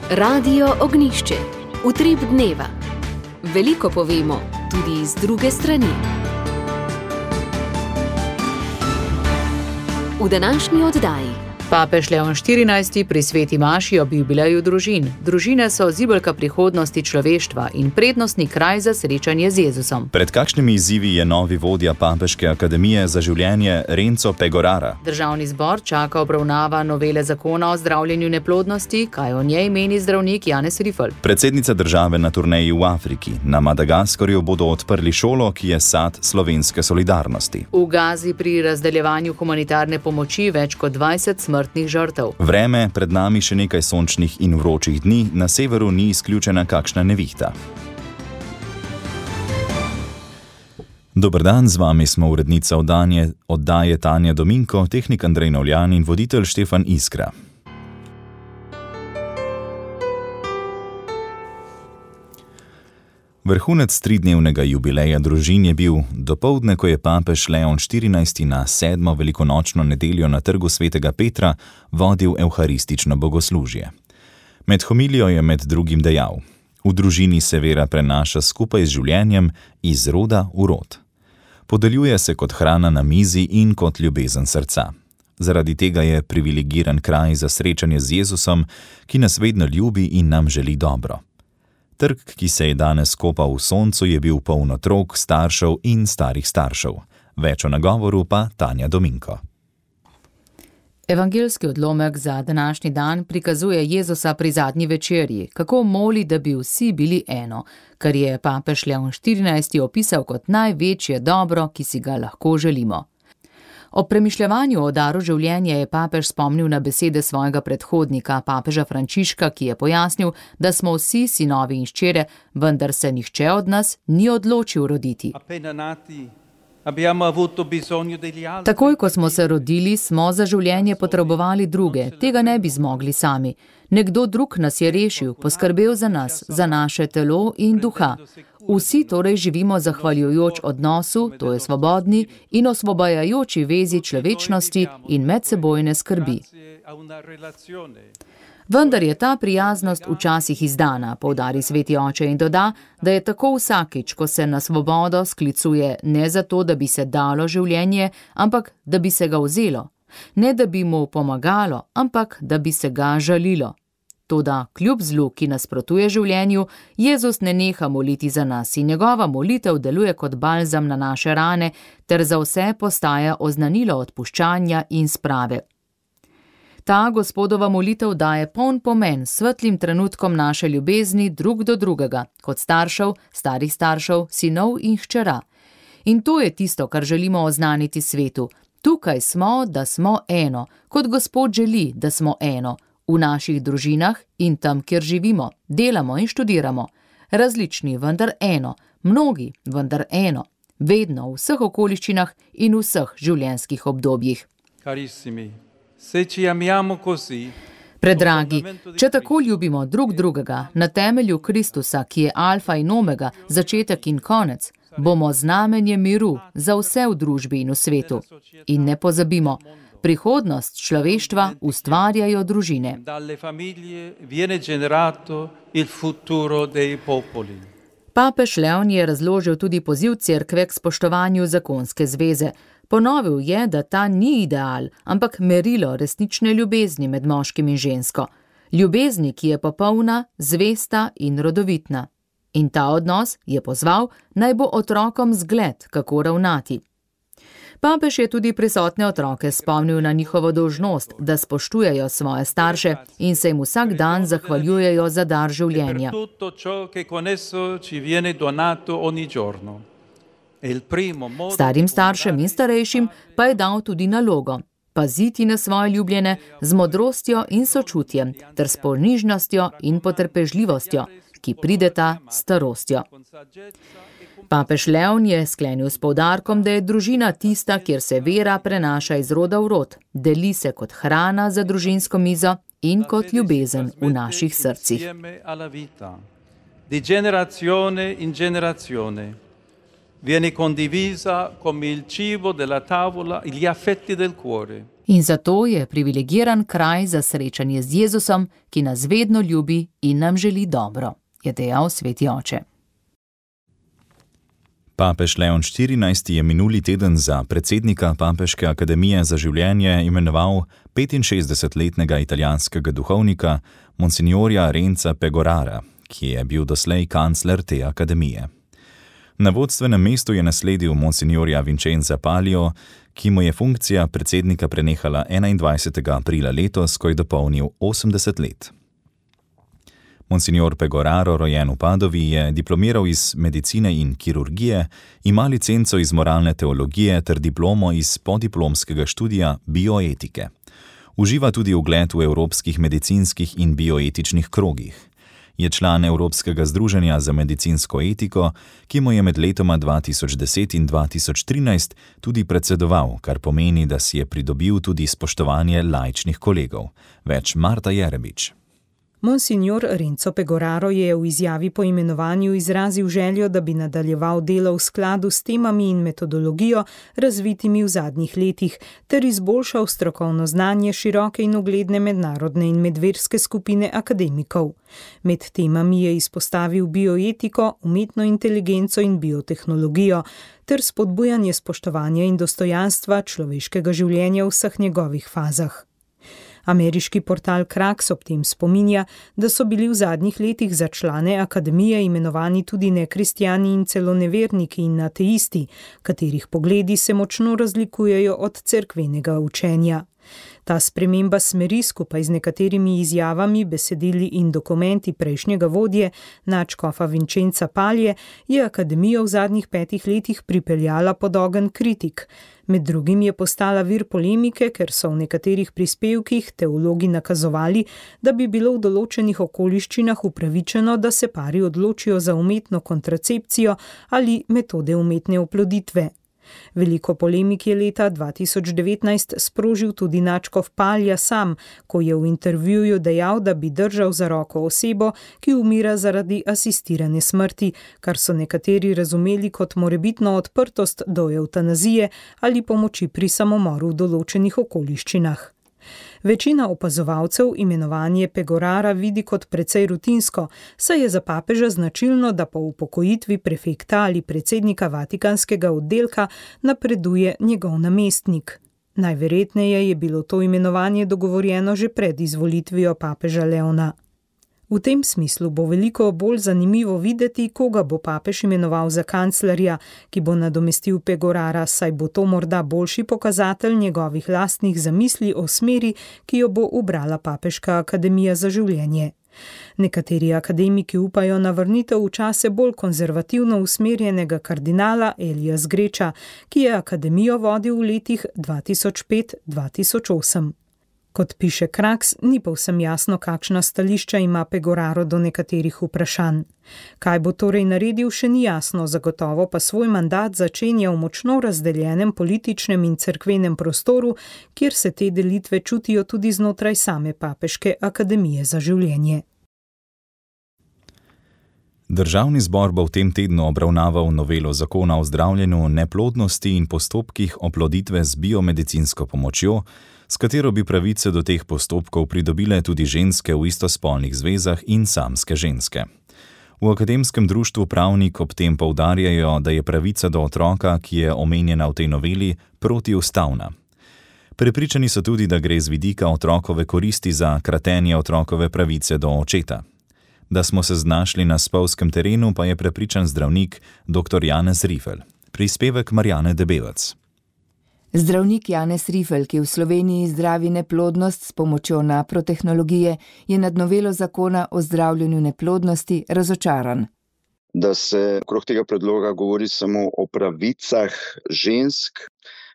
Radio Ognjišče. Utrip dneva. Veliko povemo, tudi iz druge strani. V današnji oddaji. Papež Leon XIV. Pri sveti maši ob jubileju družin. Družine so zibelka prihodnosti človeštva in prednostni kraj za srečanje z Jezusom. Pred kakšnimi izzivi je novi vodja Papeške akademije za življenje Renzo Pegorara? Državni zbor čaka obravnava novele zakona o zdravljenju neplodnosti, kaj o njej meni zdravnik Janez Rifl. Predsednica države na turneji v Afriki. Na Madagaskarju bodo odprli šolo, ki je sad slovenske solidarnosti. V Gazi pri razdeljevanju humanitarne pomoči več kot 20 smrtnih žrtev. Vreme, pred nami še nekaj sončnih in vročih dni, na severu ni izključena kakšna nevihta. Dober dan, z vami smo urednica oddaje Tanja Dominko, tehnik Andrej Novljan in voditelj Štefan Iskra. Vrhunec tridnevnega jubileja družin je bil dopoldne, ko je papež Leon XIV. Na 7. velikonočno nedeljo na trgu svetega Petra vodil evharistično bogoslužje. Med homilijo je med drugim dejal: v družini se vera prenaša skupaj z življenjem iz roda v rod. Podeljuje se kot hrana na mizi in kot ljubezen srca. Zaradi tega je privilegiran kraj za srečanje z Jezusom, ki nas vedno ljubi in nam želi dobro. Trg, ki se je danes kopal v soncu, je bil poln otrok, staršev in starih staršev. Več o nagovoru pa Tanja Dominko. Evangeljski odlomek za današnji dan prikazuje Jezusa pri zadnji večerji, kako moli, da bi vsi bili eno, kar je papež Leon XIV. Opisal kot največje dobro, ki si ga lahko želimo. Ob premišljevanju o daru življenja je papež spomnil na besede svojega predhodnika, papeža Frančiška, ki je pojasnil, da smo vsi sinovi in hčere, vendar se nihče od nas ni odločil roditi. Takoj, ko smo se rodili, smo za življenje potrebovali druge, tega ne bi zmogli sami. Nekdo drug nas je rešil, poskrbel za nas, za naše telo in duha. Vsi torej živimo zahvaljujoč odnosu, to je svobodni in osvobajajoči vezi človečnosti in medsebojne skrbi. Vendar je ta prijaznost včasih izdana, poudari sveti oče in doda, da je tako vsakič, ko se na svobodo sklicuje ne zato, da bi se dalo življenje, ampak da bi se ga vzelo. Ne da bi mu pomagalo, ampak da bi se ga žalilo. Toda kljub zlu, ki nasprotuje življenju, Jezus ne neha moliti za nas in njegova molitev deluje kot balzam na naše rane, ter za vse postaja oznanilo odpuščanja in sprave. Ta Gospodova molitev daje poln pomen svetlim trenutkom naše ljubezni drug do drugega, kot staršev, starih staršev, sinov in hčera. In to je tisto, kar želimo oznaniti svetu. Tukaj smo, da smo eno, kot Gospod želi, da smo eno. V naših družinah in tam, kjer živimo, delamo in študiramo. Različni, vendar eno, mnogi, vendar eno. Vedno, v vseh okoliščinah in v vseh življenjskih obdobjih. Predragi, če tako ljubimo drug drugega na temelju Kristusa, ki je alfa in omega, začetek in konec, bomo znamenje miru za vse v družbi in v svetu. In ne pozabimo, prihodnost človeštva ustvarjajo družine. Papež Leon je razložil tudi poziv cerkve k spoštovanju zakonske zveze. Ponovil je, da ta ni ideal, ampak merilo resnične ljubezni med moškim in žensko. Ljubezni, ki je popolna, zvesta in rodovitna. In ta odnos je pozval, naj bo otrokom zgled, kako ravnati. Papež je tudi prisotne otroke spomnil na njihovo dolžnost, da spoštujejo svoje starše in se jim vsak dan zahvaljujejo za dar življenja. Starim staršem in starejšim pa je dal tudi nalogo: paziti na svoje ljubljene z modrostjo in sočutjem ter s ponižnostjo in potrpežljivostjo, ki prideta s starostjo. Papež Leon je sklenil s poudarkom, da je družina tista, kjer se vera prenaša iz roda v rod, deli se kot hrana za družinsko mizo in kot ljubezen v naših srcih. Di generazione in generazione viene condivisa come il cibo della tavola, gli affetti del cuore. In zato je privilegiran kraj za srečanje z Jezusom, ki nas vedno ljubi in nam želi dobro, je dejal sveti oče. Papež Leon XIV. Je minuli teden za predsednika Papeške akademije za življenje imenoval 65-letnega italijanskega duhovnika Monsignorja Renza Pegorara, ki je bil doslej kancler te akademije. Na vodstvenem mestu je nasledil Monsignorja Vincenza Palio, ki mu je funkcija predsednika prenehala 21. aprila letos, ko je dopolnil 80 let. Monsignor Pegoraro, rojen v Padovi, je diplomiral iz medicine in kirurgije, ima licenco iz moralne teologije ter diplomo iz podiplomskega študija bioetike. Uživa tudi ugled v evropskih medicinskih in bioetičnih krogih. Je član Evropskega združenja za medicinsko etiko, ki mu je med letoma 2010 in 2013 tudi predsedoval, kar pomeni, da si je pridobil tudi spoštovanje laičnih kolegov. Več Marta Jerebič. Monsignor Renzo Pegoraro je v izjavi po imenovanju izrazil željo, da bi nadaljeval delo v skladu s temami in metodologijo, razvitimi v zadnjih letih, ter izboljšal strokovno znanje široke in ugledne mednarodne in medverske skupine akademikov. Med temami je izpostavil bioetiko, umetno inteligenco in biotehnologijo, ter spodbujanje spoštovanja in dostojanstva človeškega življenja v vseh njegovih fazah. Ameriški portal Kraks ob tem spominja, da so bili v zadnjih letih za člane akademije imenovani tudi nekristjani in celo neverniki in ateisti, katerih pogledi se močno razlikujejo od cerkvenega učenja. Ta sprememba smeri skupaj z nekaterimi izjavami, besedili in dokumenti prejšnjega vodje, nadškofa Vincenza Palije, je akademijo v zadnjih 5 letih pripeljala pod ogenj kritik. Med drugim je postala vir polemike, ker so v nekaterih prispevkih teologi nakazovali, da bi bilo v določenih okoliščinah upravičeno, da se pari odločijo za umetno kontracepcijo ali metode umetne oploditve. Veliko polemik je leta 2019 sprožil tudi nadškof Palija sam, ko je v intervjuju dejal, da bi držal za roko osebo, ki umira zaradi asistirane smrti, kar so nekateri razumeli kot morebitno odprtost do evtanazije ali pomoči pri samomoru v določenih okoliščinah. Večina opazovalcev imenovanje Pegorara vidi kot precej rutinsko, saj je za papeža značilno, da po upokojitvi prefekta ali predsednika Vatikanskega oddelka napreduje njegov namestnik. Najverjetneje je bilo to imenovanje dogovorjeno že pred izvolitvijo papeža Leona. V tem smislu bo veliko bolj zanimivo videti, koga bo papež imenoval za kanclerja, ki bo nadomestil Pegorara, saj bo to morda boljši pokazatelj njegovih lastnih zamisli o smeri, ki jo bo ubrala Papeška akademija za življenje. Nekateri akademiki upajo na vrnitev v čase bolj konzervativno usmerjenega kardinala Elija Zgreča, ki je akademijo vodil v letih 2005-2008. Kot piše Kraks, ni povsem jasno, kakšna stališča ima Pegoraro do nekaterih vprašanj. Kaj bo torej naredil, še ni jasno, zagotovo pa svoj mandat začenja v močno razdeljenem političnem in cerkvenem prostoru, kjer se te delitve čutijo tudi znotraj same Papeške akademije za življenje. Državni zbor bo v tem tednu obravnaval novelo zakona o zdravljenju neplodnosti in postopkih oploditve z biomedicinsko pomočjo, s katero bi pravice do teh postopkov pridobile tudi ženske v istospolnih zvezah in samske ženske. V akademskem društvu Pravnik ob tem poudarjajo, da je pravica do otroka, ki je omenjena v tej noveli, protiustavna. Prepričani so tudi, da gre z vidika otrokove koristi za kratenje otrokove pravice do očeta. Da smo se znašli na spolzkem terenu, pa je prepričan zdravnik dr. Janez Rifel. Prispevek Marjane Debelec. Zdravnik Janez Rifel, ki v Sloveniji zdravi neplodnost s pomočjo naprotehnologije, je nad novelo zakona o zdravljenju neplodnosti razočaran. Da se okrog tega predloga govori samo o pravicah žensk,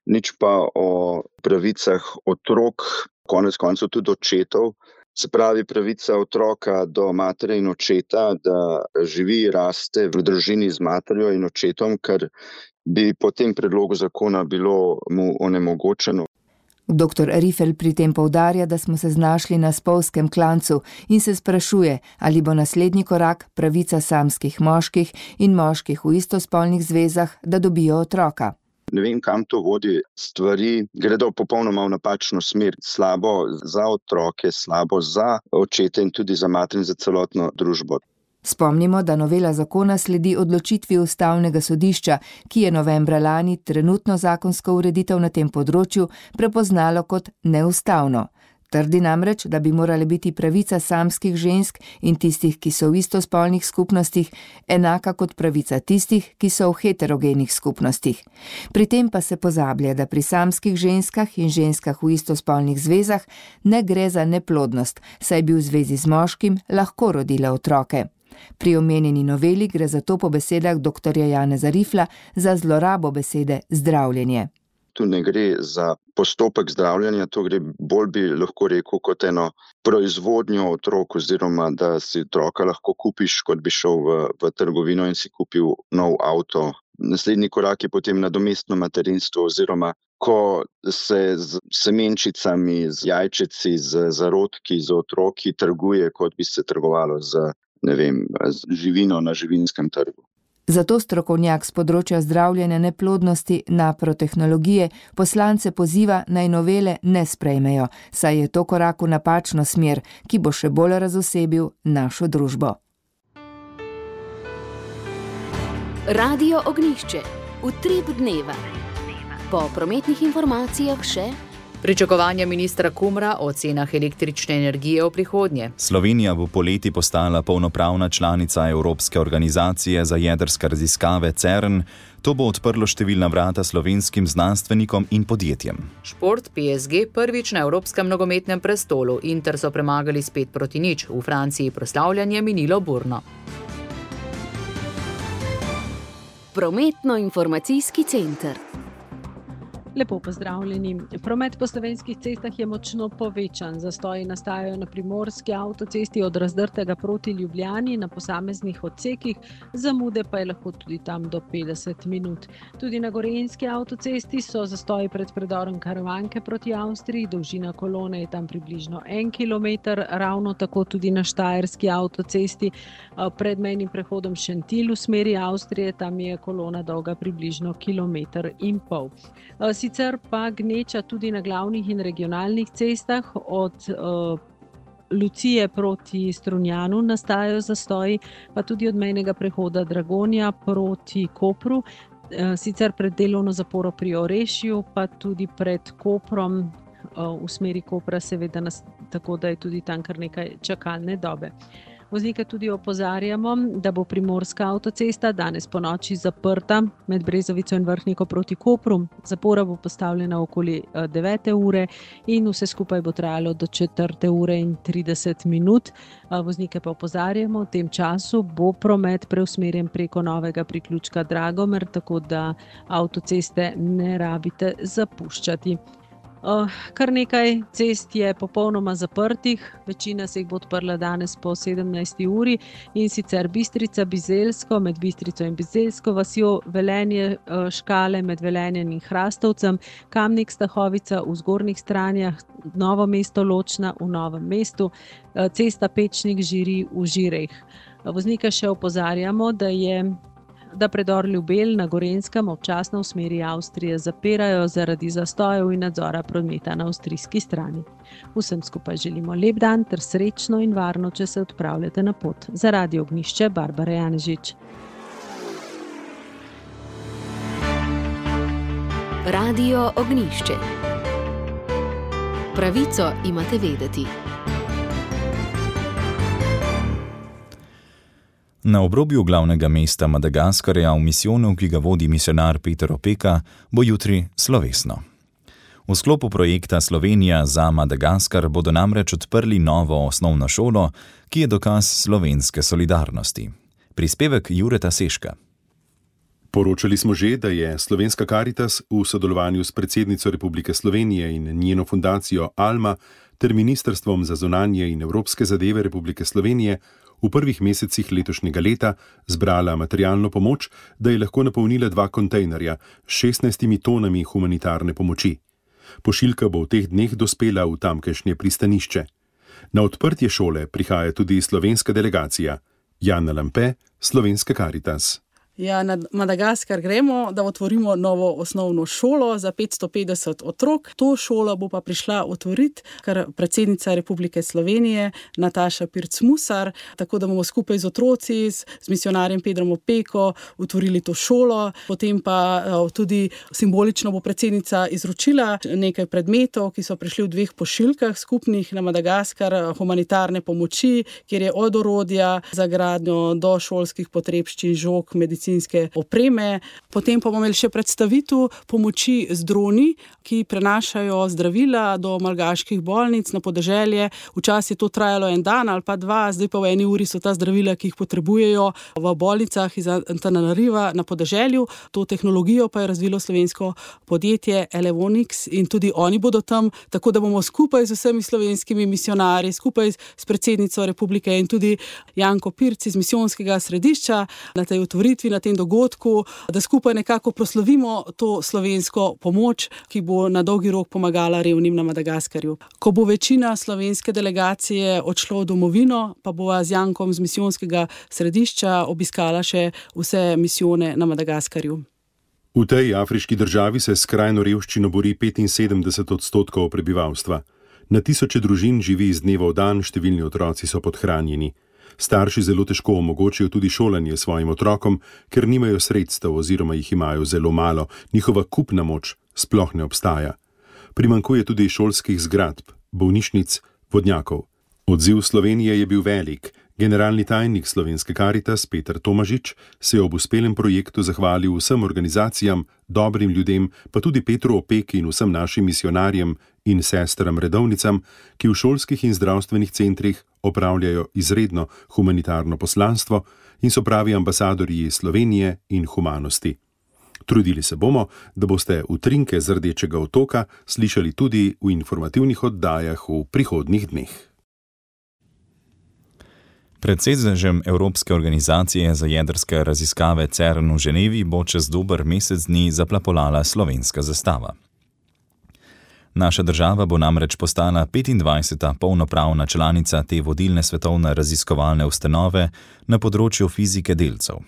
nič pa o pravicah otrok, konec koncev tudi očetov. Se pravi pravica otroka do matere in očeta, da živi, raste v družini z materjo in očetom, kar bi po tem predlogu zakona bilo mu onemogočeno. Dr. Rifel pri tem poudarja, da smo se znašli na spolzkem klancu in se sprašuje, ali bo naslednji korak pravica samskih moških in moških v istospolnih zvezah, da dobijo otroka. Ne vem, kam to vodi. Stvari gredo popolnoma v napačno smer. Slabo za otroke, slabo za očete in tudi za mater in za celotno družbo. Spomnimo, da novela zakona sledi odločitvi Ustavnega sodišča, ki je novembra lani trenutno zakonsko ureditev na tem področju prepoznalo kot neustavno. Trdi namreč, da bi morala biti pravica samskih žensk in tistih, ki so v istospolnih skupnostih, enaka kot pravica tistih, ki so v heterogenih skupnostih. Pri tem pa se pozablja, da pri samskih ženskah in ženskah v istospolnih zvezah ne gre za neplodnost, saj bi v zvezi z moškim lahko rodila otroke. Pri omenjeni noveli gre zato po besedah dr. Janeza Rifla za zlorabo besede zdravljenje. Tu ne gre za postopek zdravljenja, to gre bolj bi lahko rekel kot eno proizvodnjo otrok oziroma da si otroka lahko kupiš, kot bi šel v trgovino in si kupil nov avto. Naslednji korak je potem nadomestno materinstvo oziroma ko se z semenčicami, z jajčeci, z zarodki, z otroki trguje, kot bi se trgovalo z živino na živinskem trgu. Zato strokovnjak z področja zdravljenja neplodnosti naprotehnologije poslance poziva naj novele ne sprejmejo, saj je to korak v napačno smer, ki bo še bolj razosebil našo družbo. Radio Ognjišče. Utrip dneva. Po prometnih informacijah še pričakovanja ministra Kumra o cenah električne energije v prihodnje. Slovenija bo poleti postala polnopravna članica Evropske organizacije za jedrske raziskave CERN. To bo odprlo številna vrata slovenskim znanstvenikom in podjetjem. Šport PSG prvič na evropskem nogometnem prestolu. Inter so premagali s 5-0. V Franciji proslavljanje minilo burno. Prometno-informacijski center. Lepo pozdravljeni. Promet po slovenskih cestah je močno povečan. Zastoji nastajajo na primorski avtocesti od Razdrtega proti Ljubljani na posameznih odsekih, zamude pa je lahko tudi tam do 50 minut. Tudi na gorenjski avtocesti so zastoji pred predorom Karavanke proti Avstriji, dolžina kolone je tam približno 1 kilometer, ravno tako tudi na štajerski avtocesti pred mejnim prehodom Šentilj v smeri Avstrije, tam je kolona dolga približno 1,5 kilometra. Sicer pa gneča tudi na glavnih in regionalnih cestah, od Lucije proti Strunjanu nastajajo zastoji, pa tudi od mejnega prehoda Dragonja proti Kopru, sicer pred delovno zaporo pri Orešju, pa tudi pred Koprom v smeri Kopra, seveda tako, da je tudi tam kar nekaj čakalne dobe. Voznike tudi opozarjamo, da bo primorska avtocesta danes ponoči zaprta med Brezovico in Vrhniko proti Kopru. Zapora bo postavljena okoli 9. ure in vse skupaj bo trajalo do 4. ure in 30 minut. Voznike pa opozarjamo, v tem času bo promet preusmerjen preko novega priključka Dragomer, tako da avtoceste ne rabite zapuščati. Kar nekaj cest je popolnoma zaprtih, večina se jih bo odprla danes po 17. uri in sicer Bistrica-Bizeljsko med Bistrico in Bizeljsko vasjo, Velenje Škale med Velenjem in Hrastovcem, Kamnik-Stahovica v Zgornjih Stranjah, Novo mesto Ločna v Novem mestu, cesta Pečnik-Žiri v Žireh. Voznike še opozarjamo, da predor Ljubelj na Gorenjskem občasno v smeri Avstrije zapirajo zaradi zastojev in nadzora prometa na avstrijski strani. Vsem skupaj želimo lep dan ter srečno in varno, če se odpravljate na pot. Za Radio Ognjišče, Barbara Janežič. Radio Ognjišče. Pravico imate vedeti. Na obrobju glavnega mesta Madagaskarja v misijonu, ki ga vodi misionar Peter Opeka, bo jutri slovesno. V sklopu projekta Slovenija za Madagaskar bodo namreč odprli novo osnovno šolo, ki je dokaz slovenske solidarnosti. Prispevek Jureta Seška. Poročali smo že, da je Slovenska Karitas v sodelovanju s predsednico Republike Slovenije in njeno fundacijo Alma ter Ministrstvom za zunanje in evropske zadeve Republike Slovenije v prvih mesecih letošnjega leta zbrala materialno pomoč, da je lahko napolnila 2 kontejnerja s 16 tonami humanitarne pomoči. Pošiljka bo v teh dneh dospela v tamkajšnje pristanišče. Na odprtje šole prihaja tudi slovenska delegacija. Jana Lampe, Slovenska Karitas. Ja, na Madagaskar gremo, da otvorimo novo osnovno šolo za 550 otrok. To šolo bo pa prišla otvoriti kar predsednica Republike Slovenije Nataša Pirc-Musar, tako da bomo skupaj z otroci, z misionarjem Pedrom Opeko otvorili to šolo. Potem pa tudi simbolično bo predsednica izročila nekaj predmetov, ki so prišli v 2 pošiljkah skupnih na Madagaskar, humanitarne pomoči, kjer je od orodja za gradnjo do šolskih potrebščin, žog, medicinske opreme. Potem pa bomo imeli še predstavitev pomoči z droni, ki prenašajo zdravila do malgaških bolnic na podeželje. Včasih je to trajalo 1 dan ali pa 2, zdaj pa v 1 uri so ta zdravila, ki jih potrebujejo v bolnicah iz Antananariva na podeželju. To tehnologijo pa je razvilo slovensko podjetje Elevonix in tudi oni bodo tam, tako da bomo skupaj z vsemi slovenskimi misionarji, skupaj s predsednico Republike in tudi Janko Pirc iz misijonskega središča na tej otvoritvi, na tem dogodku, da skupaj nekako proslavimo to slovensko pomoč, ki bo na dolgi rok pomagala revnim na Madagaskarju. Ko bo večina slovenske delegacije odšlo v domovino, pa bova z Jankom z misijonskega središča obiskala še vse misijone na Madagaskarju. V tej afriški državi se s skrajno revščino bori 75% prebivalstva. Na tisoče družin živi iz dneva v dan, številni otroci so podhranjeni. Starši zelo težko omogočijo tudi šolanje svojim otrokom, ker nimajo sredstev oziroma jih imajo zelo malo, njihova kupna moč sploh ne obstaja. Primanjkuje tudi šolskih zgradb, bolnišnic, vodnjakov. Odziv Slovenije je bil velik. Generalni tajnik Slovenske Karitas Peter Tomažič se je ob uspelem projektu zahvalil vsem organizacijam, dobrim ljudem, pa tudi Petru Opeki in vsem našim misionarjem in sestram redovnicam, ki v šolskih in zdravstvenih centrih opravljajo izredno humanitarno poslanstvo in so pravi ambasadorji Slovenije in humanosti. Trudili se bomo, da boste utrinke z Rdečega otoka slišali tudi v informativnih oddajah v prihodnjih dneh. Pred sedežem Evropske organizacije za jedrske raziskave CERN v Ženevi bo čez dober mesec dni zaplapolala slovenska zastava. Naša država bo namreč postala 25. polnopravna članica te vodilne svetovne raziskovalne ustanove na področju fizike delcev.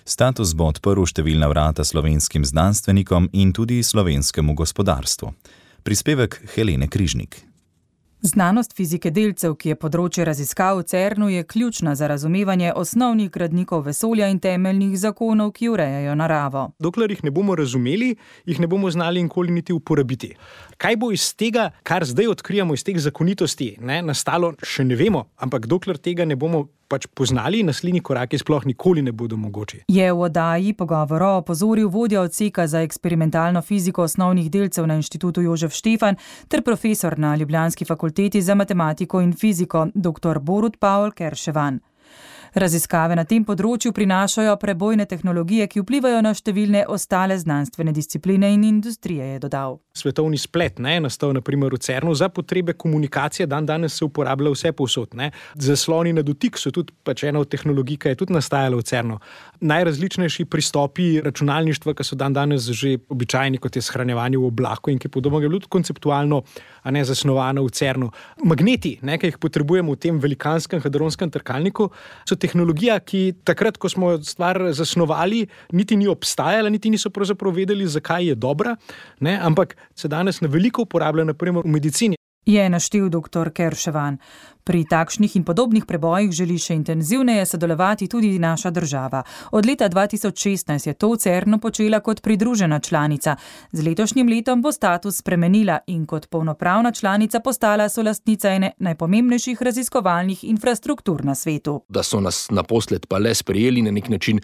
Status bo odprl številna vrata slovenskim znanstvenikom in tudi slovenskemu gospodarstvu. Prispevek Helene Križnik. Znanost fizike delcev, ki je področje raziskav v CERN-u, je ključna za razumevanje osnovnih gradnikov vesolja in temeljnih zakonov, ki urejajo naravo. Dokler jih ne bomo razumeli, jih ne bomo znali nikoli niti uporabiti. Kaj bo iz tega, kar zdaj odkrijamo, iz teh zakonitosti, nastalo, še ne vemo, ampak dokler tega ne bomo poznali, naslednji koraki sploh nikoli ne bodo mogoči. Je v oddaji Pogovora opozoril vodja odseka za eksperimentalno fiziko osnovnih delcev na Inštitutu Jožef Štefan ter profesor na ljubljanski fakulteti za matematiko in fiziko dr. Borut Paul Kerševan. Raziskave na tem področju prinašajo prebojne tehnologije, ki vplivajo na številne ostale znanstvene discipline in industrije, je dodal. Svetovni splet je nastal na primer v CERN-u za potrebe komunikacije, danes se uporablja vse povsod. Zasloni na dotik so tudi ena od tehnologij, ki je tudi nastajala v CERN-u. Najrazličnejši pristopi računalništva, ki so danes že običajni, kot je shranjevanje v oblaku in ki podobno je bilo konceptualno zasnovano v CERN-u. Magneti, ki jih potrebujemo v tem velikanskem hadronskem trkalniku, so tehnologija, ki takrat, ko smo stvar zasnovali, niti ni obstajala, niti niso pravzaprav vedeli, zakaj je dobra, ampak se danes na veliko uporablja, na primer v medicini. Je naštel dr. Kerševan. Pri takšnih in podobnih prebojih želi še intenzivneje sodelovati tudi naša država. Od leta 2016 je to v CERN-u počela kot pridružena članica. Z letošnjim letom bo status spremenila in kot polnopravna članica postala solastnica ene najpomembnejših raziskovalnih infrastruktur na svetu. Da so nas naposled pa le sprejeli, na nek način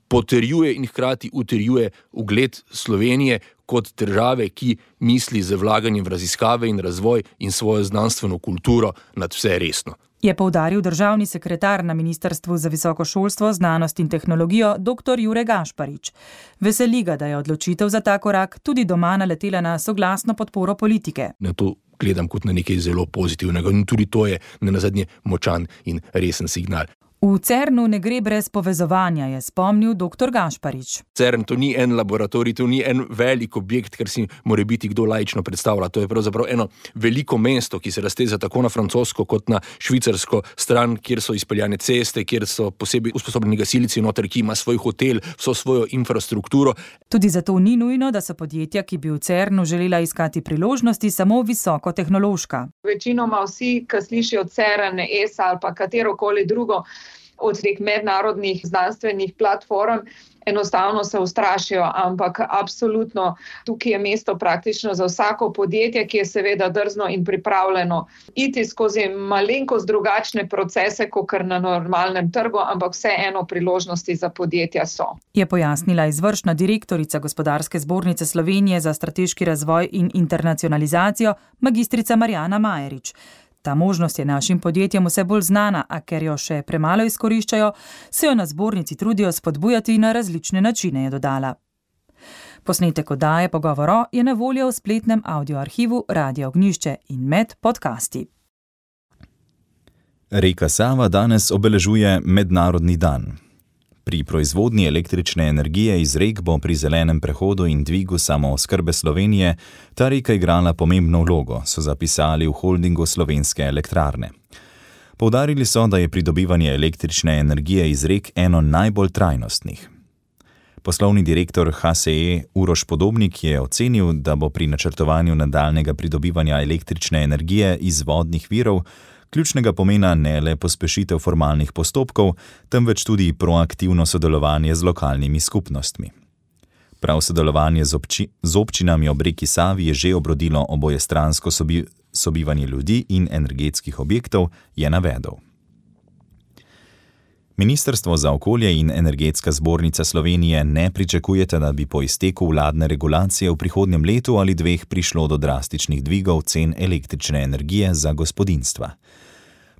potrjuje in hkrati utrjuje ugled Slovenije kot države, ki misli z vlaganjem v raziskave in razvoj in svojo znanstveno kulturo nad vse resno. Je poudaril državni sekretar na Ministrstvu za visoko šolstvo, znanost in tehnologijo dr. Jure Gašparič. Veseli ga, da je odločitev za ta korak tudi doma naletela na soglasno podporo politike. Na to gledam kot na nekaj zelo pozitivnega in tudi to je nenazadnje močan in resen signal. V CERN-u ne gre brez povezovanja, je spomnil dr. Gašparič. CERN to ni en laboratorij, to ni en velik objekt, kar si mora biti kdo laično predstavlja. To je pravzaprav eno veliko mesto, ki se razteza tako na francosko kot na švicarsko stran, kjer so izpeljane ceste, kjer so posebej usposobljeni gasilci noter, ki ima svoj hotel, vso svojo infrastrukturo. Tudi zato ni nujno, da so podjetja, ki bi v CERN-u želela iskati priložnosti, samo visokotehnološka. Večinoma vsi, ki slišijo CERN, ESA ali pa katerokoli drugo od teh mednarodnih znanstvenih platform, enostavno se ustrašijo, ampak absolutno tukaj je mesto praktično za vsako podjetje, ki je seveda drzno in pripravljeno iti skozi malenkost drugačne procese, kot na normalnem trgu, ampak vseeno priložnosti za podjetja so. Je pojasnila izvršna direktorica Gospodarske zbornice Slovenije za strateški razvoj in internacionalizacijo, magistrica Marjana Majerič. Ta možnost je našim podjetjem vse bolj znana, a ker jo še premalo izkoriščajo, se jo na zbornici trudijo spodbujati na različne načine, je dodala. Posnetek oddaje Pogovoro je na voljo v spletnem audioarhivu Radia Ognjišče in med podcasti. Reka Sava danes obeležuje Mednarodni dan. Pri proizvodnji električne energije iz rek bo pri zelenem prehodu in dvigu samooskrbe Slovenije ta reka igrala pomembno vlogo, so zapisali v holdingu Slovenske elektrarne. Poudarili so, da je pridobivanje električne energije iz rek eno najbolj trajnostnih. Poslovni direktor HSE Uroš Podobnik je ocenil, da bo pri načrtovanju nadaljnjega pridobivanja električne energije iz vodnih virov ključnega pomena ne le pospešitev formalnih postopkov, temveč tudi proaktivno sodelovanje z lokalnimi skupnostmi. Prav sodelovanje z občinami ob reki Savi je že obrodilo obojestransko sobivanje ljudi in energetskih objektov, je navedel. Ministrstvo za okolje in Energetska zbornica Slovenije ne pričakujete, da bi po izteku vladne regulacije v prihodnjem letu ali dveh prišlo do drastičnih dvigov cen električne energije za gospodinjstva.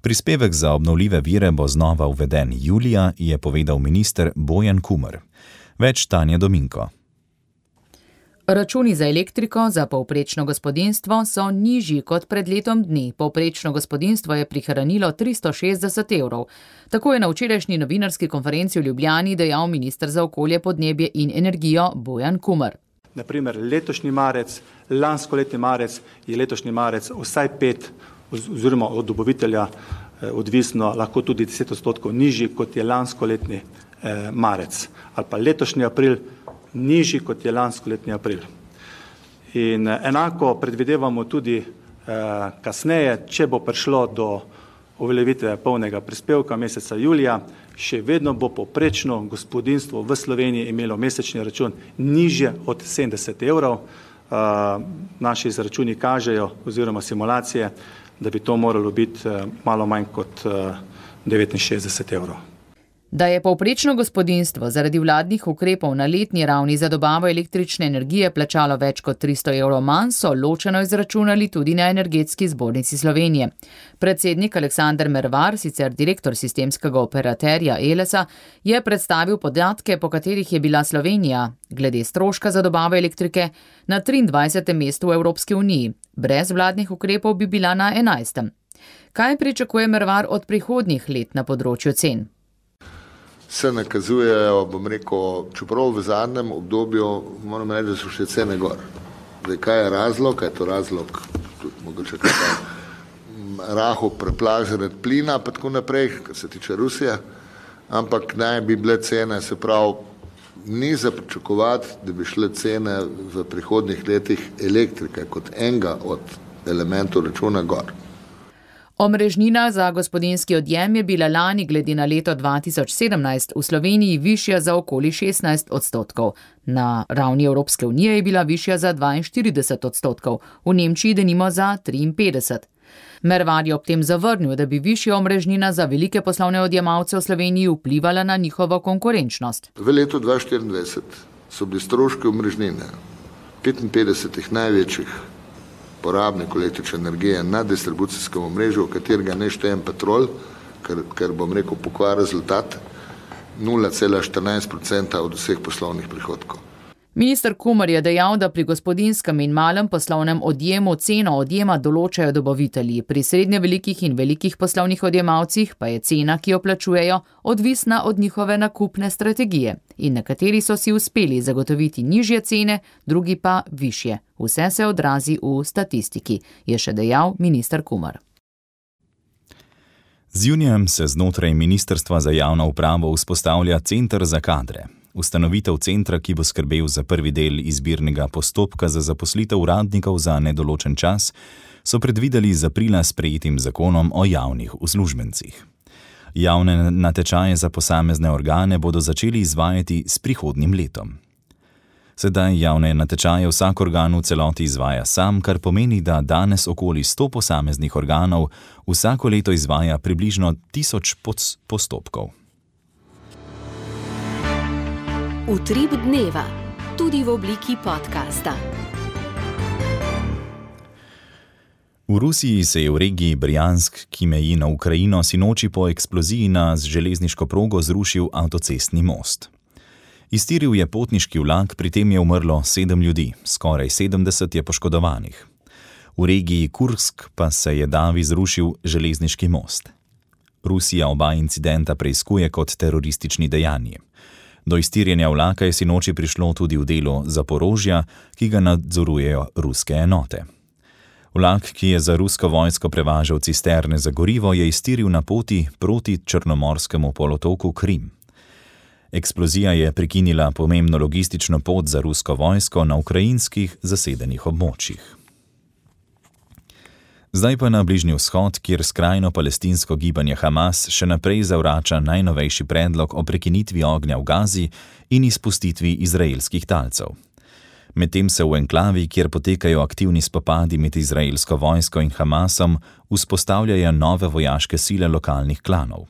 Prispevek za obnovljive vire bo znova uveden julija, je povedal minister Bojan Kumer. Več Tanja Dominko. Računi za elektriko za povprečno gospodinjstvo so nižji kot pred letom dni. Povprečno gospodinjstvo je prihranilo 360 evrov. Tako je na včerajšnji novinarski konferenci v Ljubljani dejal minister za okolje, podnebje in energijo Bojan Kumer. Naprimer, letošnji marec, lanskoletni marec je letošnji marec vsaj 5 oziroma od dobavitelja odvisno lahko tudi 10% nižji, kot je lanskoletni marec. Ali pa letošnji april nižji, kot je lanskoletni april. In enako predvidevamo tudi kasneje, če bo prišlo do uveljavitve polnega prispevka meseca julija, še vedno bo povprečno gospodinjstvo v Sloveniji imelo mesečni račun nižje od 70 evrov. Naši izračuni kažejo oziroma simulacije, da bi to moralo biti malo manj kot 69 evrov. Da je povprečno gospodinjstvo zaradi vladnih ukrepov na letni ravni za dobavo električne energije plačalo več kot 300 evrov manj, so ločeno izračunali tudi na Energetski zbornici Slovenije. Predsednik Aleksander Mervar, sicer direktor sistemskega operaterja Elesa, je predstavil podatke, po katerih je bila Slovenija glede stroška za dobavo elektrike na 23. mestu v Evropski uniji. Brez vladnih ukrepov bi bila na 11. Kaj pričakuje Mervar od prihodnjih let na področju cen? Se nakazujejo, bom rekel, čeprav v zadnjem obdobju, moram reči, da so še cene gor. Zdaj, kaj je razlog? Kaj je to razlog? Mogoče kaj raho preplah zaradi plina, pa tako naprej, kar se tiče Rusije, ampak naj bi bile cene, se pravi, ni za pričakovati, da bi šle cene v prihodnjih letih elektrike kot enega od elementov računa gor. Omrežnina za gospodinjski odjem je bila lani glede na leto 2017 v Sloveniji višja za okoli 16%. Na ravni Evropske unije je bila višja za 42%, v Nemčiji denimo za 53%. Mervar je ob tem zavrnil, da bi višja omrežnina za velike poslovne odjemalce v Sloveniji vplivala na njihovo konkurenčnost. V letu 2024 so bili stroški omrežnine 55 največjih porabnikov električne energije na distribucijskem omrežju, v katerega ne štejem Petrol, ker bom rekel pokvar rezultat, 0,14% od vseh poslovnih prihodkov. Minister Kumer je dejal, da pri gospodinskem in malem poslovnem odjemu ceno odjema določajo dobavitelji, pri srednje velikih in velikih poslovnih odjemalcih pa je cena, ki jo plačujejo, odvisna od njihove nakupne strategije. In nekateri so si uspeli zagotoviti nižje cene, drugi pa višje. Vse se odrazi v statistiki, je še dejal minister Kumer. Z junijem se znotraj Ministrstva za javno upravo vzpostavlja Center za kadre. Ustanovitev centra, ki bo skrbel za prvi del izbirnega postopka za zaposlitev uradnikov za nedoločen čas, so predvideli z aprila sprejetim zakonom o javnih uslužbencih. Javne natečaje za posamezne organe bodo začeli izvajati s prihodnjim letom. Sedaj javne natečaje vsak organ v celoti izvaja sam, kar pomeni, da danes okoli 100 posameznih organov vsako leto izvaja približno 1000 postopkov. Utrip dneva, tudi v obliki podcasta. V Rusiji se je v regiji Brjansk, ki meji na Ukrajino, sinoči po eksploziji na železniško progo zrušil avtocestni most. Iztiril je potniški vlak, pri tem je umrlo 7 ljudi, skoraj 70 je poškodovanih. V regiji Kursk pa se je davi zrušil železniški most. Rusija oba incidenta preiskuje kot teroristični dejanji. Do iztirjenja vlaka je sinoči prišlo tudi v delu Zaporožja, ki ga nadzorujejo ruske enote. Vlak, ki je za rusko vojsko prevažal cisterne za gorivo, je iztiril na poti proti Črnomorskemu polotoku Krim. Eksplozija je prekinila pomembno logistično pot za rusko vojsko na ukrajinskih zasedenih območjih. Zdaj pa na Bližnji vzhod, kjer skrajno palestinsko gibanje Hamas še naprej zavrača najnovejši predlog o prekinitvi ognja v Gazi in izpustitvi izraelskih talcev. Medtem se v enklavi, kjer potekajo aktivni spopadi med izraelsko vojsko in Hamasom, vzpostavljajo nove vojaške sile lokalnih klanov.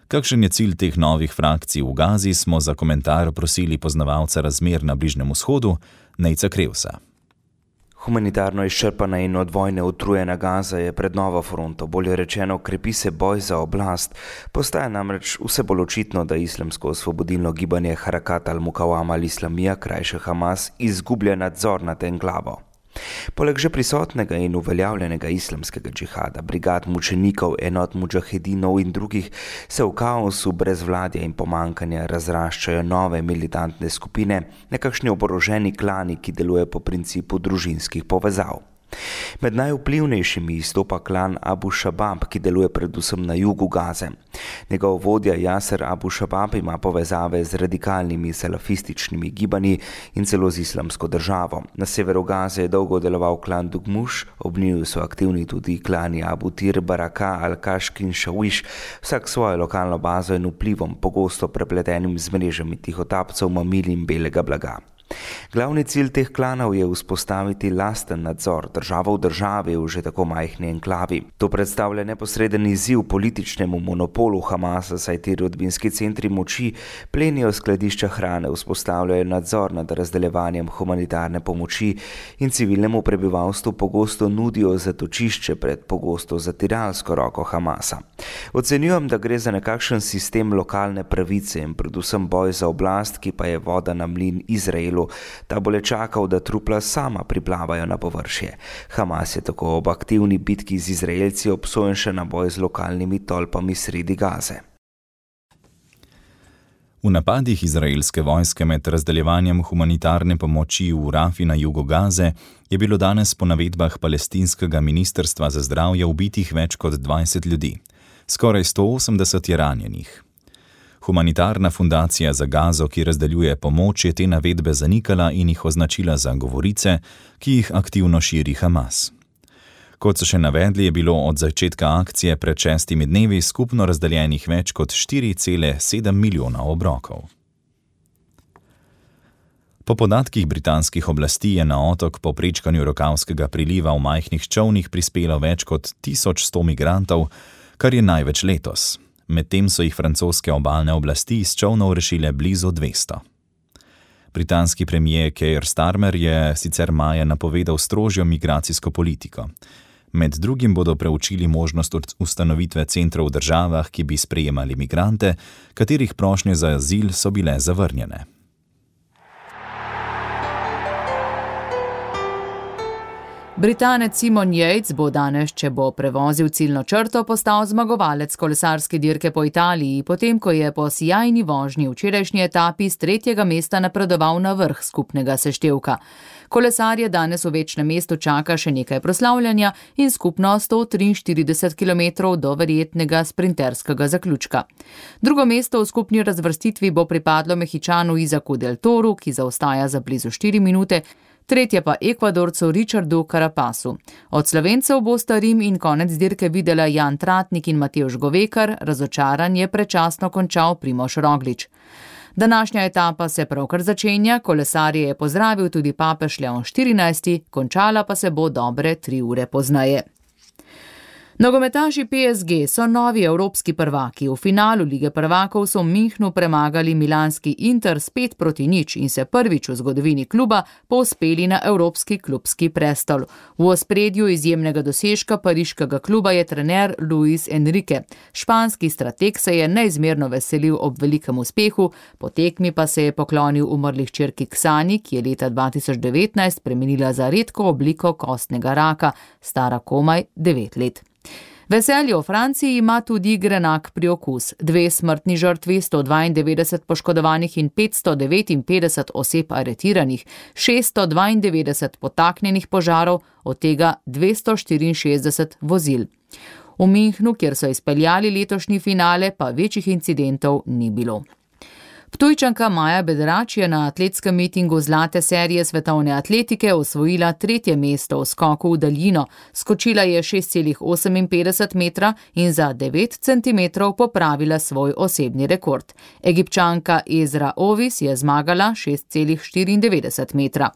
Kakšen je cilj teh novih frakcij v Gazi, smo za komentar prosili poznavalca razmer na Bližnjem vzhodu, Nejca Krevsa. Humanitarno izčrpana in od vojne utrujena Gaza je pred novo fronto, bolje rečeno, krepi se boj za oblast. Postaja namreč vse bolj očitno, da islamsko osvobodilno gibanje Harakat al-Mukawama al-Islamija, krajše Hamas, izgublja nadzor nad enklavo. Poleg že prisotnega in uveljavljenega islamskega džihada, brigad mučenikov, enot mudžahedinov in drugih, se v kaosu brezvladja in pomankanja razraščajo nove militantne skupine, nekakšni oboroženi klani, ki delujejo po principu družinskih povezav. Med najvplivnejšimi izstopa klan Abu Shabab, ki deluje predvsem na jugu Gaze. Njegov vodja Jaser Abu Shabab ima povezave z radikalnimi salafističnimi gibanji in celo z islamsko državo. Na severu Gaze je dolgo deloval klan Dugmuš, ob njiju so aktivni tudi klani Abu Tir, Baraka, Al-Kashk in Shawish, vsak svojo lokalno bazo in vplivom, pogosto prepletenim z mrežami tihotapcev, mamil in belega blaga. Glavni cilj teh klanov je vzpostaviti lasten nadzor državo v državi v že tako majhni enklavi. To predstavlja neposreden izziv političnemu monopolu Hamasa, saj ti rodbinski centri moči plenijo skladišča hrane, vzpostavljajo nadzor nad razdeljevanjem humanitarne pomoči in civilnemu prebivalstvu pogosto nudijo zatočišče pred pogosto zatiralsko roko Hamasa. Ocenjujem, da gre za nekakšen sistem lokalne pravice in predvsem boj za oblast, ki pa je voda na mlin Izraelu. Ta bo le čakal, da trupla sama priplavajo na površje. Hamas je tako ob aktivni bitki z Izraelci obsojen še na boj z lokalnimi tolpami sredi Gaze. V napadih izraelske vojske med razdeljevanjem humanitarne pomoči v Rafi na jugu Gaze je bilo danes po navedbah palestinskega ministrstva za zdravje ubitih več kot 20 ljudi. Skoraj 180 je ranjenih. Humanitarna fundacija za Gazo, ki razdeljuje pomoč, je te navedbe zanikala in jih označila za govorice, ki jih aktivno širi Hamas. Kot so še navedli, je bilo od začetka akcije pred 6 dnevi skupno razdeljenih več kot 4,7 milijona obrokov. Po podatkih britanskih oblasti je na otok po prečkanju Rokavskega priliva v majhnih čolnih prispelo več kot 1100 migrantov, kar je največ letos. Medtem so jih francoske obalne oblasti iz čolnov rešile blizu 200. Britanski premier Keir Starmer je sicer maja napovedal strožjo migracijsko politiko. Med drugim bodo preučili možnost ustanovitve centrov v državah, ki bi sprejemali migrante, katerih prošnje za azil so bile zavrnjene. Britanec Simon Yates bo danes, če bo prevozil ciljno črto, postal zmagovalec kolesarske dirke po Italiji, potem ko je po sijajni vožnji v včerajšnji etapi z 3. mesta napredoval na vrh skupnega seštevka. Kolesarje danes v večnem mestu čaka še nekaj proslavljanja in skupno 143 km do verjetnega sprinterskega zaključka. Drugo mesto v skupni razvrstitvi bo pripadlo Mehičanu Izaku del Toru, ki zaostaja za blizu 4 minute, tretje pa Ekvadorcu Richardu Carapasu. Od Slovencev bosta Rim in konec dirke videla Jan Tratnik in Matevž Govekar, razočaran je predčasno končal Primož Roglič. Današnja etapa se pravkar začenja, kolesarje je pozdravil tudi papež Leon XIV, končala pa se bo dobre 3 ure pozneje. Nogometaši PSG so novi evropski prvaki. V finalu Lige prvakov so v Münchnu premagali milanski Inter s 5-0 in se prvič v zgodovini kluba povzpeli na evropski klubski prestol. V ospredju izjemnega dosežka pariškega kluba je trener Luis Enrique. Španski strateg se je neizmerno veselil ob velikem uspehu, po tekmi pa se je poklonil umrli hčerki Ksani, ki je leta 2019 premenila za redko obliko kostnega raka, stara komaj 9 let. Veselje v Franciji ima tudi grenak priokus. 2 smrtni žrtvi, 192 poškodovanih in 559 oseb aretiranih, 692 potaknjenih požarov, od tega 264 vozil. V Münchnu, kjer so izpeljali letošnji finale, pa večjih incidentov ni bilo. Ptujčanka Maja Bedrač je na atletskem mitingu zlate serije svetovne atletike osvojila 3. mesto v skoku v daljino. Skočila je 6,58 metra in za 9 centimetrov popravila svoj osebni rekord. Egipčanka Ezra Ovis je zmagala 6,94 metra.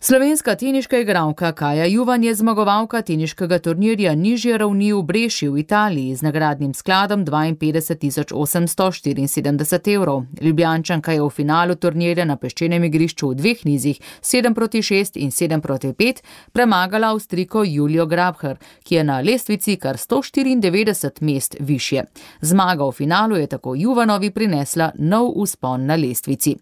Slovenska teniška igralka Kaja Juvan je zmagovalka teniškega turnirja nižje ravni v Breši v Italiji z nagradnim skladom 52.874 evrov. Ljubljančanka je v finalu turnirja na peščenem igrišču v 2 nizih 7-6 in 7-5 premagala Avstrijko Julijo Grabher, ki je na lestvici kar 194 mest višje. Zmaga v finalu je tako Juvanovi prinesla nov vzpon na lestvici.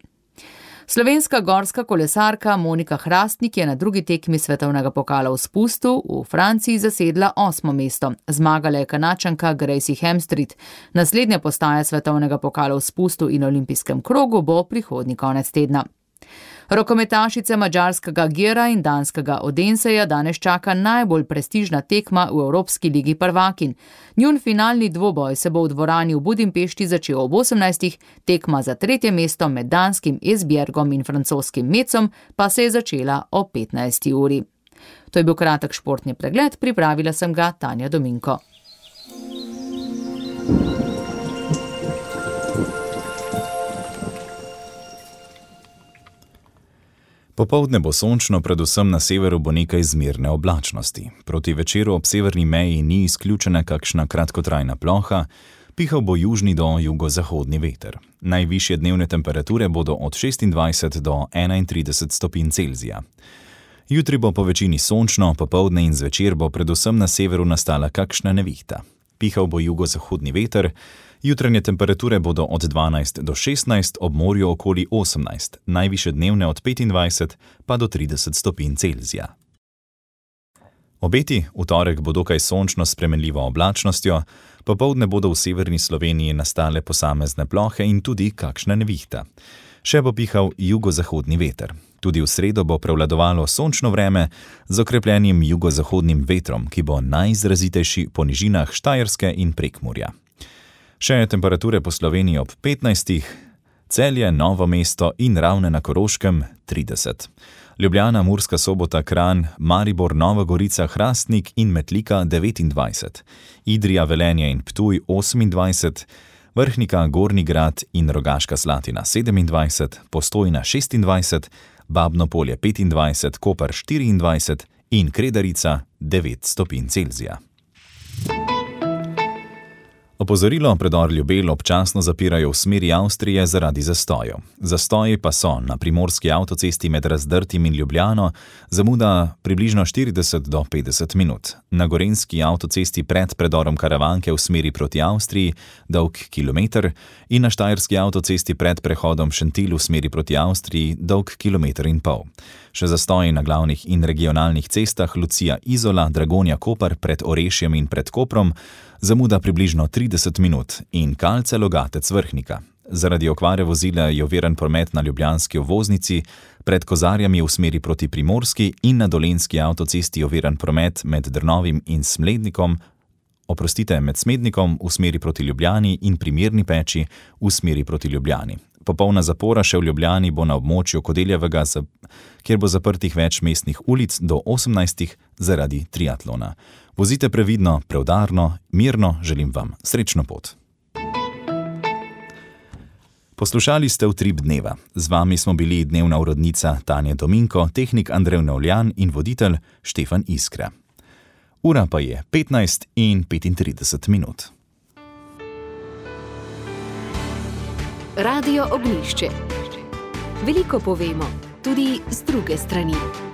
Slovenska gorska kolesarka Monika Hrastnik je na drugi tekmi svetovnega pokala v spustu v Franciji zasedla 8. mesto. Zmagala je Kanačanka Gracie Hemstreet. Naslednja postaja svetovnega pokala v spustu in olimpijskem krogu bo prihodnji konec tedna. Rokometašice madžarskega Gera in danskega Odenseja danes čaka najbolj prestižna tekma v Evropski ligi prvakinj. Njun finalni dvoboj se bo v dvorani v Budimpešti začel ob 18. Tekma za 3. mesto med danskim Esbjergom in francoskim Mecom pa se je začela o 15. uri. To je bil kratek športni pregled, pripravila sem ga Tanja Dominko. Popoldne bo sončno, predvsem na severu bo nekaj zmerne oblačnosti. Proti večeru ob severni meji ni izključena kakšna kratkotrajna ploha, pihal bo južni do jugozahodni veter. Najvišje dnevne temperature bodo od 26 do 31 stopinj Celzija. Jutri bo po večini sončno, popoldne in zvečer bo predvsem na severu nastala kakšna nevihta. Pihal bo jugozahodni veter, jutranje temperature bodo od 12 do 16, ob morju okoli 18, najvišje dnevne od 25 pa do 30 stopinj Celzija. Obeti v torek bo dokaj sončno s spremenljivo oblačnostjo, popoldne bodo v severni Sloveniji nastale posamezne plohe in tudi kakšna nevihta. Še bo pihal jugozahodni veter. Tudi v sredo bo prevladovalo sončno vreme z okrepljenim jugozahodnim vetrom, ki bo najizrazitejši po nižinah Štajerske in Prekmurja. Še temperature po Sloveniji ob 15, Celje, Novo mesto in Ravne na Koroškem 30. Ljubljana, Murska Sobota, Kranj, Maribor, Nova Gorica, Hrastnik in Metlika 29. Idrija, Velenje in Ptuj 28, Vrhnika, Gornji Grad in Rogaška Slatina 27, Postojna 26, Babno Polje 25, Koper 24 in Kredarica 9 stopinj Celzija. Ob Opozorilo, predor Ljubelj občasno zapirajo v smeri Avstrije zaradi zastojev. Zastoji pa so na primorski avtocesti med Razdrtim in Ljubljano, zamuda približno 40 do 50 minut. Na gorenjski avtocesti pred predorom Karavanke v smeri proti Avstriji, dolg kilometer, in na štajerski avtocesti pred prehodom Šentilj v smeri proti Avstriji, dolg 1,5 kilometra. Še zastoji na glavnih in regionalnih cestah Lucija-Izola, Dragonja-Koper pred Orešjem in pred Koprom, zamuda približno 30 minut, in Kalce-Logatec-Vrhnika. Zaradi okvare vozila je oviran promet na ljubljanski obvoznici, pred Kozarjami v smeri proti Primorski in na dolenjski avtocesti oviran promet med Drnovim in Smlednikom, med Smednikom v smeri proti Ljubljani in pri Mirni Peči v smeri proti Ljubljani. Popolna zapora še v Ljubljani bo na območju Kodeljevega, kjer bo zaprtih več mestnih ulic do 18 zaradi triatlona. Vozite previdno, preudarno, mirno, želim vam srečno pot. Poslušali ste Utrip dneva. Z vami smo bili dnevna urednica Tanja Dominko, tehnik Andrej Novljan in voditelj Štefan Iskra. Ura pa je 15:35 minut. Radio Ognjišče. Veliko povemo, tudi z druge strani.